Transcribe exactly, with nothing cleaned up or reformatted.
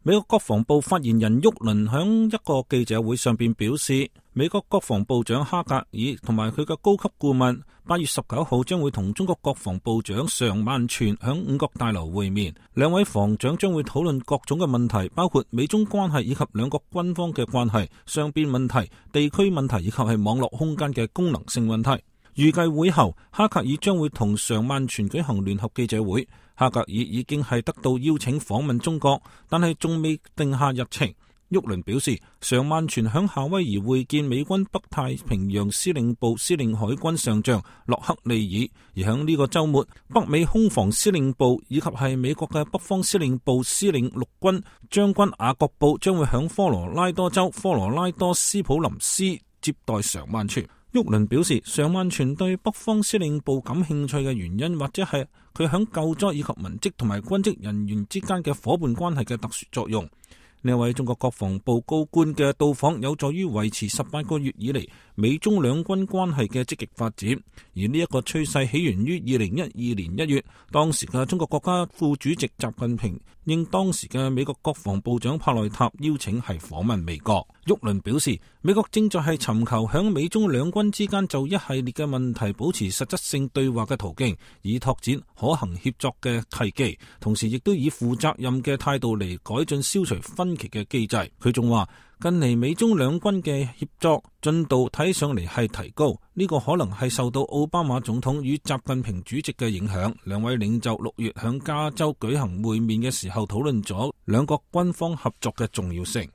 美國國防部發言人沃倫響一個記者會上邊表示，美國國防部長哈格爾同埋佢嘅高級顧問八月十九號將會同中國國防部長常萬全響五角大樓會面，兩位防長將會討論各種嘅問題，包括美中關係以及兩國軍方嘅關係、雙邊問題、地區問題以及係網絡空間嘅功能性問題。預計會後，哈格爾將會同常萬全舉行聯合記者會。哈格爾已經係得到邀請訪問中國，但係仲未定下日程。沃倫表示，常萬全響夏威夷會見美軍北太平洋司令部司令海軍上將洛克利爾，而響呢個週末，北美空防司令部以及係美國嘅北方司令部司令陸軍將軍雅各布將會響科羅拉多州科羅拉多斯普林斯接待常萬全。沃倫表示，常萬全對北方司令部感興趣嘅原因，或者係佢響救災以及文職同埋軍職人員之間嘅伙伴關係嘅特殊作用。呢位中國國防部高官嘅到訪有助於維持十八個月以嚟美中兩軍關係嘅積極發展，而呢一個趨勢起源於二零一二年一月，當時嘅中國國家副主席習近平應當時嘅美國國防部長帕內塔邀請係訪問美國。沃倫表示，美國正在係尋求響美中兩軍之間就一系列嘅問題保持實質性對話嘅途徑，以拓展可行協作嘅契機，同時亦都以負責任嘅態度嚟改進消除分歧嘅機制。佢仲話，近嚟美中兩軍嘅協作進度睇上嚟係提高，呢個可能係受到奧巴馬總統與習近平主席嘅影響。兩位領袖六月響加州舉行會面嘅時候討論咗兩國軍方合作嘅重要性。